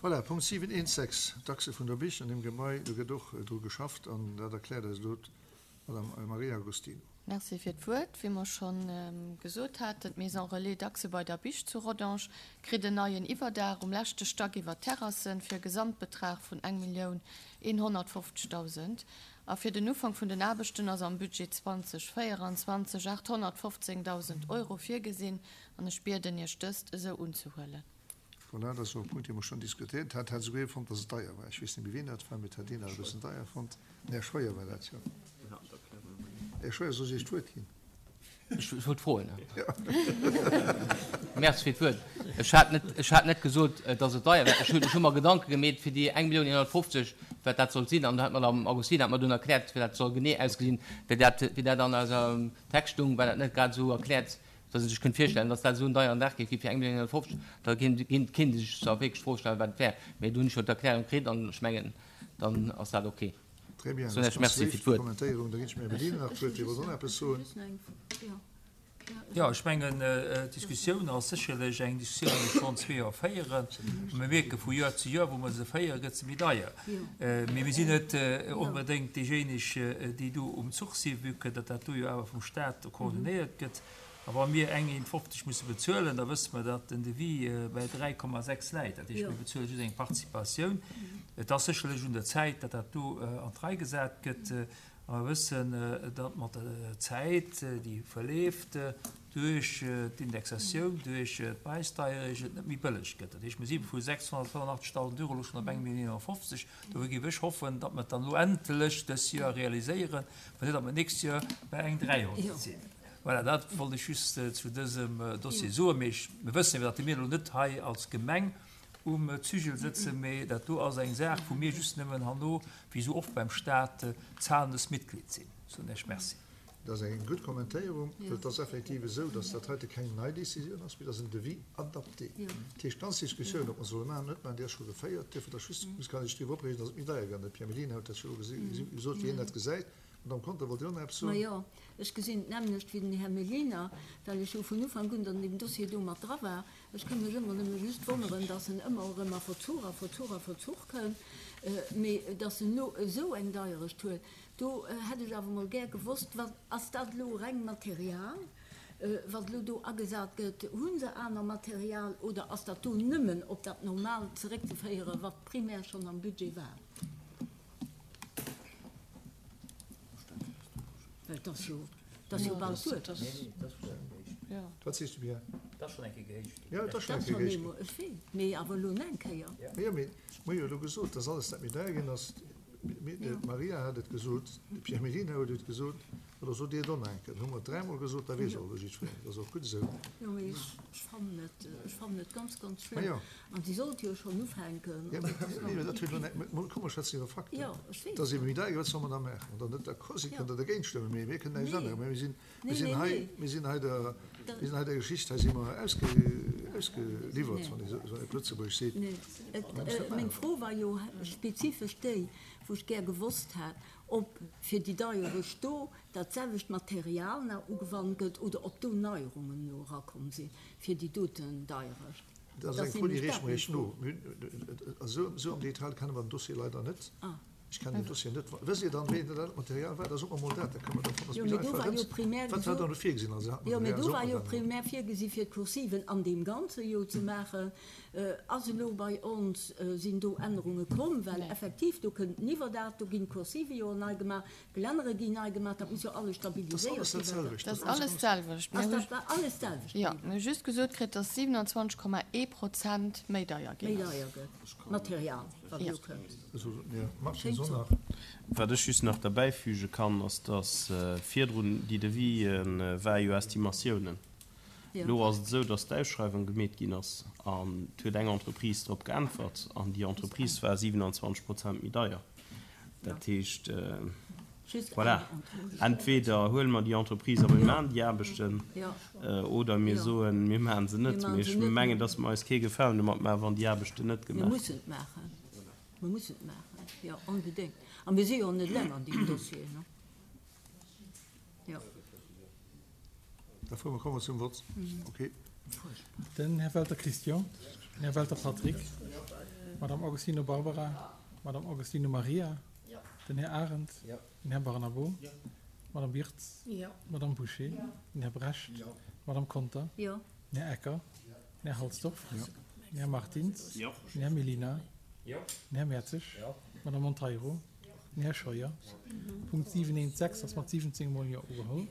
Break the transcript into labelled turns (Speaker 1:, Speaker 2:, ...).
Speaker 1: Voilà, Punkt 7.1.6, d'Achse vun der Bich an deem Gebai, do gëtt och dru geschafft an dat erkläert eis elo d'Madame Maria Agostino.
Speaker 2: Merci fir d'Wuert. Wéi mer scho gesot haten, d'Maison Relais Dachse bei der Bich zu Rodange kritt en neien Iwwerdaach um leschte Stack iwwer d'Terrassen fir e Gesamtbetrag vun 1.150.000. A fir den Ufank vun den Aarbechten ass am Budget 2024 815.000 Euro virgesinn an ech bieden Iech dëst esou unzehuelen.
Speaker 1: Voilà, dat ass och e Punkt, dee mer schonn diskutéiert haten. Hat esouguer ee fonnt, datt et deier war. Ech weess net méi, wien dat war, mee et hat een dat e bëssen deier fonnt. Den Här Scheuer war dat, jo. Här Scheuer, soll ech Iech d'Wuert ginn?
Speaker 3: Ech wollt froen. Merci fir d'Wuert. Ech hat net, ech hat net gesot, datt et deier war. Ech hunn, ech hu mer Gedanke gemeet fir déi 1.150.000, wat dat sollt sinn. An do hat d'Madame Agostino hat mer dunn erkläert, wéi dat soll genee ausgesinn. Wéi dat, wéi dat an eiser Text stoung, war dat net grad esou erkläert. Dass ee sech kënnt virstellen, dass dat esou en deieren Dag géif gi fir 1.150.000, da kéint ee sech zwar wierklech d'Fro stellen, wat et wär. Mee do hunn ech jo d'Erklärung kritt an ech mengen, dann ass dat ok.
Speaker 1: Très bien, dat ass ganz léif, déi Kommentéierung. Da ginn ech dem Här Medina nach d'Wuert, dee wollt och nach eppes soen.
Speaker 4: Jo, ech mengen, d'Diskussioun ass sécherlech eng Diskussioun, déi mer schonn zwee Joer féieren. A mir mierke vu Joer zu Joer, wou mer se féieren, gëtt se méi deier. Mee mir sinn net onbedéngt déijéineg, déi do um Zuch sinn, vue que datt dat do jo awer vum Stat coordinéiert gëtt. A wa mir eng 1,50 musse bezuelen, da wësse mer, datt den Devis bäi 3,6 läit. Dat heescht, mir bezuele just eng Participatioun. Et ass sécherlech un der Zäit, datt dat do an d'Rei gesat gëtt. A mer wëssen, datt mat der Zäit, déi verleeft, duerch d'Indexatioun, duerch d'Präisdeierecht et net méi bëlleg gëtt. Dat heescht, mir si vu 685.000 Euro elo schonn op 1.150.000. Dofir géif ech hoffen, datt mer et dann elo endlech dës Joer realiséieren, mä net, datt mer d'nächst Joer bei eng 300 sinn. Voilà, dat wollt ech just zu dësem Dossier soen. Mee mir wëssen jo, datt mir elo net hei als Gemeng um Zügel sëtzen, mee dat do ass eng Saach, wou mir just nëmmen herno, wéi esou oft beim Stat, zahlendes Mitglied sinn. Soen Iech Merci.
Speaker 1: Dat ass eng gutt Kommentéierung, well et ass effektiv esou, dass dat heite keng nei Décisioun ass, mee dat ass en Devis adapté. Dat heescht, d'ganz Diskussioun, ob mer solle maachen oder net maachen, déi ass scho geféiert. Duerfir ass just, muss kann sech driwwer opreegen, dass et méi deier gëtt. De Pierre Mellina huet dat scho gesot, wéi hien dat gesäit. Madamm Conter, wollt Dir och nach eppes soen?
Speaker 5: Majo, ech gesinn et d'nämmlecht wéi den Här Mellina, well ech jo vun Ufank un an deem Dossier do mat dra war. Ech ka mech ëmmer nëmme just wonneren, dass en ëmmer erëm a Verzuch a Verzuch a Verzuch kënnt, mee dass en elo esou eng Deierecht huet, do hätt ech awer emol gär gewosst, wat ass dat elo reng Material, wat elo do agesat gëtt? Hu se aner Material oder ass dat do nëmmen op dat Normaalt zeréckzeféieren, wat primär schonn am Budget war? Well et ass jo, et ass jo bal duer.
Speaker 1: Wat sees du, Pierre?
Speaker 4: Et ass schonn eng Kéier gehéicht ginn.
Speaker 1: Jo, et ass schonn eng Kéier gehéicht ginn.
Speaker 5: Ech weess, mee awer elo nach eng Kéier.
Speaker 1: Jo, mee mir hu jo elo gesot, dass alles, dat méi deier ginn ass, d'Maria hat et gesot, de Pierre Mellina huet et gesot, Oder sot Dir et och nach eng Kéier? Dann hu mer et dräimol gesot, da weess och elo jiddwereen. Dat ass och gutt esou.
Speaker 5: Jo, mee ech fannen et, ech fannen et ganz, ganz schlëmm. An si sollt jo schonn ufänken.
Speaker 1: Jo, mee dat huet elo näischt, komm mer schwätzen iwwer Fakten.
Speaker 5: Jo, ech weess.
Speaker 1: Et ass ebe méi deier, wat solle mer da maachen? Wann Der net d'accord sidd, kënnt Der dergéint stëmmen, mee mir kënnen näischt änneren. Mä mir sinn, mir sinn hei, mir sinn hei der, mir sinn hei der Geschicht, hei si mer ausge, ausgeliwwert, wann ee sou op Lëtzebuergesch seet.
Speaker 5: Nee, et, meng Fro war jo spezifesch déi, wou ech gär gewosst hätt, ob fir déi Deierecht do dat selwecht Material nach ugewannt gëtt oder ob do Neierungen elo erakomm si fir déi doten Deierecht.
Speaker 1: Dat ass eng Fro, déi reeche mer Iech no. Esou am Detail kenne mer den Dossier leider net. Ech kennen den Dossier net. Wësst Dir dann, wéi dat Material war? Da sot mer emol dat, da kënne mer dervun, ass méi einfach erëm. Wat war dann do virgesinn? Also hat
Speaker 5: Jo, mee do war jo primär virgesi fir d'Kursiven an deem Ganze jo ze maachen. Ass elo bei ons, sinn do Ännerunge komm? Well effektiv, do kënnt en Iwwerdaach, do ginn d'Kursive jo nei gemaach, d'Gelännere ginn nei gemaach, dat muss jo alles stabiliséiert
Speaker 2: ginn. Dat ass alles d'selwecht.
Speaker 5: Ass dat war alles d'selwecht
Speaker 2: bliwwen? Jo, mir hu just gesot kritt, dass 27,1 Prozent méi deier ginn
Speaker 5: ass. Méi deier gëtt, d'Material, wat elo kënnt.
Speaker 1: Schéngt sou.
Speaker 6: Wat ech just nach derbäifüge kann, ass, dass virdrun déi Devis war jo Estimatiounen. Elo ass et esou, datt d'Ausschreiwung gemeet ginn ass an et huet eng Entreprise drop geäntwert an déi Entreprise war 27 Prozent méi deier. Dat heescht, voilà, entweder huele mer déi Entreprise a mir maachen déi Aarbechten oder mir soen, mir maache se net. Mee ech mengen, datt mer eis kee Gefalen domat maachen, wann déi Aarbechten net gemaach
Speaker 5: ginn. Mir mussen et maachen. Mir mussen et maachen, jo, onbedéngt. A mir si jo net eleng an deem Dossier, ne? Jo.
Speaker 1: Da fuere mer, komme mer zum Vott. Okay.
Speaker 7: Den Här Welter Christian, den Här Welter Patrick, D'Madame Augustino Barbara. D'Madame Augustino Maria. Den Här Arendt. Den Här Barnabo. D'Madame Wirtz. D'Madame Bouché. Den Här Brecht. D'Madame Conter. Den Här Ecker. Den Här Halsdorf. Den Här Martins. Den Här Mellina. Den Här Mertzig. D'Madame Monteiro. Den Här Scheuer. Punkt 7.1.6 ass mat 17 mol Jo ugeholl.